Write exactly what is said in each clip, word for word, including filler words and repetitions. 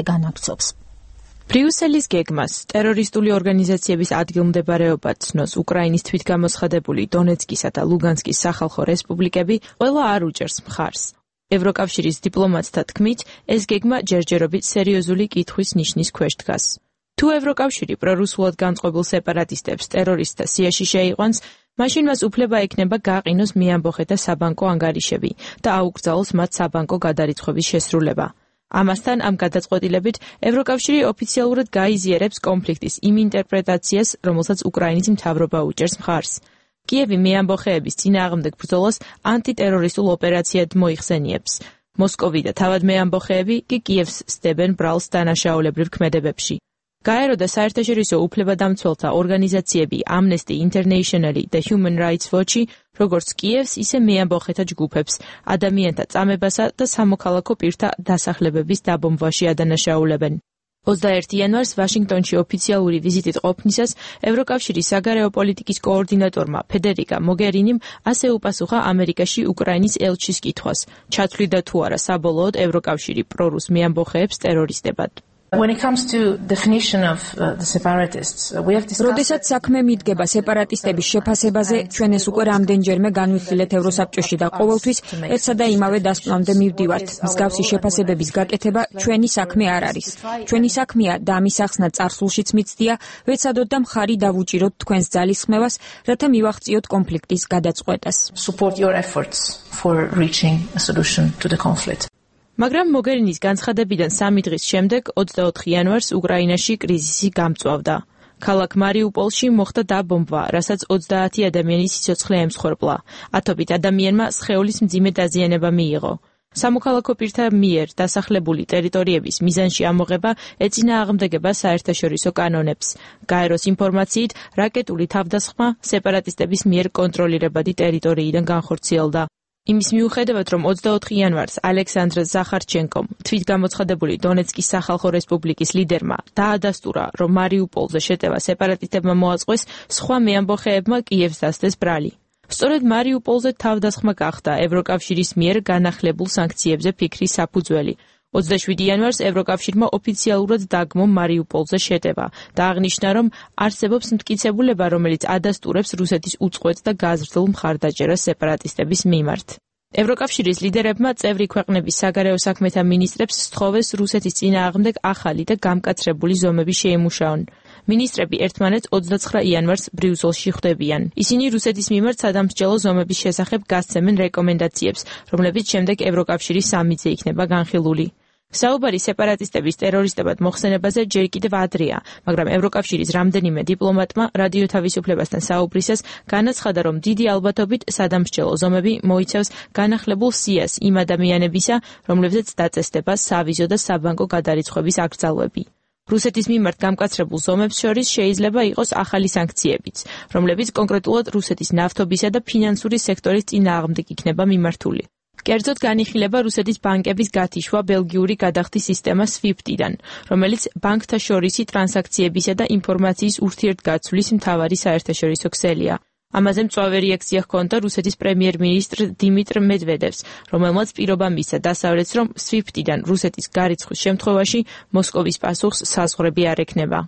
განაგრძობს. ბრიუსელის გეგმას ტერორისტული ორგანიზაციების ადგილმდებარეობა ცნოს უკრაინის თვითგამოცხადებული დონეცკისა და ლუგანსკის სახალხო რესპუბლიკები ყველა არ უჭერს მხარს. ევროკავშირის დიპლომატთა თქმით, ეს გეგმა ჯერჯერობით სერიოზული კითხვის ნიშნის ქვეშ დგას. თუ ევროკავშირი პრორუსულად განწყობილ სეპარატისტებს ტერორისტთა სიაში შეიყვანს, მაშინ მას უფლება ექნება გააყინოს მეამბოხე და საბანკო ანგარიშები და აუკრძალოს მათ საბანკო გადარიცხვების შესრულება. ამასთან ამ გადაწყვეტილებით ევროკავშირი ოფიციალურად გაიზიარებს კონფლიქტის იმ ინტერპრეტაციას, რომელსაც უკრაინის მთავრობა უჭერს მხარს. კიევი მეამბოხეების წინააღმდეგ ბრძოლას ანტიტერორისტულ ოპერაციად მოიხსენიებს. მოსკოვი და თავად მეამბოხეები კი კიევს სდებენ ბრალს დანაშაულებრივ ქმედებებში. გაერო და საერთაშორისო უფლებადამცველთა ორგანიზაციები Amnesty International და Human Rights Watch-ი, როგორც კიევს, ისე მეამბოხეთა ჯგუფებს, ადამიანთა წამებასა და სამოქალაქო პირთა დასახლებების დაბომბვაში ადანაშაულებენ. ოცდაერთი იანვარს ვაშინგტონში ოფიციალური ვიზიტით ყოფნისას ევროკავშირის საგარეო პოლიტიკის კოორდინატორმა ფედერიკა მოგერინიმ ასე უპასუხა ამერიკაში უკრაინის ელჩის კითხვას, ჩათვლიდა თუ არა საბოლოოდ ევროკავშირი პრორუს მეამბოხეებს ტერორისტებად. When it comes to definition of uh, the separatists, uh, we have discussed. როდესაც საქმე მიდგება სეპარატისტების შეფასებაზე, ჩვენ ეს უკვე რამდენჯერმე განვიხილეთ ევროსაბჭოში და ყოველთვის ერთსა და იმავე დასკვნამდე მივდივართ. მსგავსი შეფასებების გაკეთება ჩვენი საქმე არ არის. ჩვენი საქმეა და ამის ახსნა წარსულშიც მიცდია, ვეცადოთ და მხარი დავუჭიროთ თქვენს ძალისხმევას, რათა მივაღწიოთ კონფლიქტის გადაწყვეტას. Support your efforts for reaching a solution to the conflict. მაგრამ მოგერინის განცხადებიდან სამი დღის შემდეგ, ოცდაოთხი იანვარს უკრაინაში კრიზისი გამწვავდა. ქალაქ მარიუპოლში მოხდა დაბომბვა, რასაც ოცდაათი ადამიანის სიცოცხლე ემსხვერპლა. ათობით ადამიანმა სხეულის მძიმე დაზიანება მიიღო. სამოქალაქო პირთა მიერ დასახლებული ტერიტორიების მიზანში ამოღება ეწინააღმდეგება საერთაშორისო კანონებს. გაეროს ინფორმაციით, რაკეტული თავდასხმა სეპარატისტების მიერ კონტროლირებადი ტერიტორიიდან განხორციელდა. იმის მიუხედავად, რომ ოცდაოთხი იანვარს ალექსანდრ ზახარჩენკომ, თვითგამოცხადებული დონეცკის სახალხო რესპუბლიკის ლიდერმა, დაადასტურა, რომ მარიუპოლზე შეტევა სეპარატისტებმა მოაწყვეს, სხვა მეამბოხეებმა კიევს დასდეს ბრალი. სწორედ მარიუპოლზე თავდასხმა გახდა ევროკავშირის მიერ განახლებულ სანქციებზე ფიქრის საფუძველი. ოცდაშვიდი იანვარს ევროკავშირმა ოფიციალურად დაგმო მარიუპოლზე შეტევა და აღნიშნა, რომ არსებობს მტკიცებულება, რომელიც ადასტურებს რუსეთის უწყვეტ და გაზრდილ მხარდაჭერას სეპარატისტების მიმართ. ევროკავშირის ლიდერებმა წევრი ქვეყნების საგარეო საქმეთა მინისტრებს სთხოვეს რუსეთის წინააღმდეგ ახალი და გამკაცრებული ზომები შეიმუშაონ. მინისტრები ერთმანეთს ოცდაცხრა იანვარს ბრიუსელში ხვდებიან. ისინი რუსეთის მიმართ სადამსჯელო ზომების შესახებ გასცემენ რეკომენდაციებს, რომლებიც შემდეგ ევროკავშირის სამიტზე იქნება განხილული. საუბარი სეპარატისტების ტერორისტებად მოხსენებაზე ჯერ კიდევ ადრეა, მაგრამ ევროკავშირის რამდენიმე დიპლომატმა რადიო თავისუფლებასთან საუბრისას განაცხადა, რომ დიდი ალბათობით სადამსჯელო ზომები მოიცავს განახლებულ სიას იმ ადამიანებისა, რომლებზეც დაწესდება სავიზო და საბანკო გადარიცხვების აკრძალვები. რუსეთის მიმართ გამკაცრებულ ზომებს შორის შეიძლება იყოს ახალი სანქციებიც, რომლებიც კონკრეტულად რუსეთის ნავთობისა და ფინანსური სექტორის წინააღმდეგ იქნება მიმართული. კერძოდ განიხილება რუსეთის ბანკების გათიშვა ბელგიური გადახდის სისტემა SWIFT-დან, რომელიც ბანკთა შორისი ტრანზაქციებისა და ინფორმაციის ურთიერთგაცვლის მთავარი საერთაშორისო ქსელია. ამაზე მწვავე რეაქცია ჰქონდა რუსეთის პრემიერ-მინისტრ დიმიტრ მედვედევს, რომელმაც პირობა მისცა დასავლეთს, რომ SWIFT-დან რუსეთის გარიცხვის შემთხვევაში მოსკოვის პასუხს საზღვრები არ ექნება.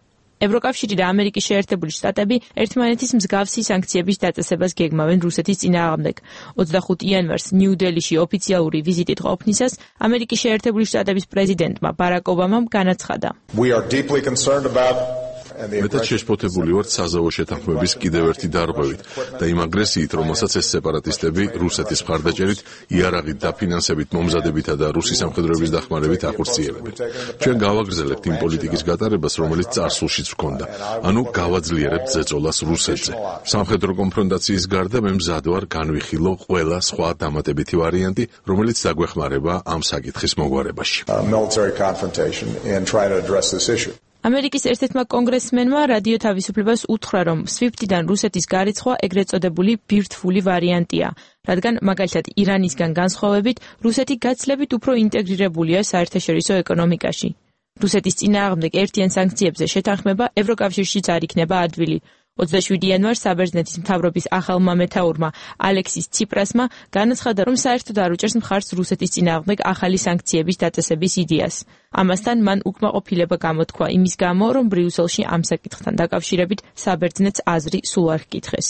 ევროკავშირი და ამერიკის შეერთებული შტატები ერთმანეთის მსგავსი სანქციების დაწესებას გეგმავენ რუსეთის წინააღმდეგ. ოცდახუთი იანვარს ნიუ-დელიში ოფიციალური ვიზიტით ყოფნისას ამერიკის შეერთებული შტატების პრეზიდენტმა ბარაკ ობამამ განაცხადა. მეტად შეშფოთებული ვართ საზავო შეთანხმების კიდევ ერთი დარღვევით და იმ აგრესიით, რომელსაც ეს სეპარატისტები რუსეთის მხარდაჭერით, იარაღით და ფინანსებით მომზადებითა და რუსი სამხედროების დახმარებით ახორციელებენ. ჩვენ გავაგრძელებთ იმ პოლიტიკის გატარებას, რომელიც წარსულშიც ჰქონდა, ანუ გავაძლიერებთ ზეწოლას რუსეთზე. სამხედრო კონფრონტაციის გარდა მე მზად ვარ განვიხილო ყველა სხვა დამატებითი ვარიანტი, რომელიც დაგვეხმარება ამ საკითხის მოგვარებაში. ამერიკის ერთ-ერთმა კონგრესმენმა რადიო თავისუფლებას უთხრა, რომ SWIFT-დან რუსეთის გარიცხვა ეგრეთ წოდებული ბირთვული ვარიანტია, რადგან მაგალითად ირანისგან განსხვავებით რუსეთი გაცილებით უფრო ინტეგრირებულია საერთაშორისო ეკონომიკაში. რუსეთის წინააღმდეგ ერთიან სანქციებზე შეთანხმება ევროკავშირშიც არ იქნება ადვილი. ოცდაშვიდი იანვარს საბერძნეთის მთავრობის ახალმა მეთაურმა ალექსის ციპრასმა განაცხადა, რომ საერთოდ არ უჭერს მხარს რუსეთის წინააღმდეგ ახალი სანქციების დაწესების იდეას. ამასთან მან უკმაყოფილება გამოთქვა იმის გამო, რომ ბრიუსელში ამ საკითხთან დაკავშირებით საბერძნეთს აზრი სულ არ ჰკითხეს.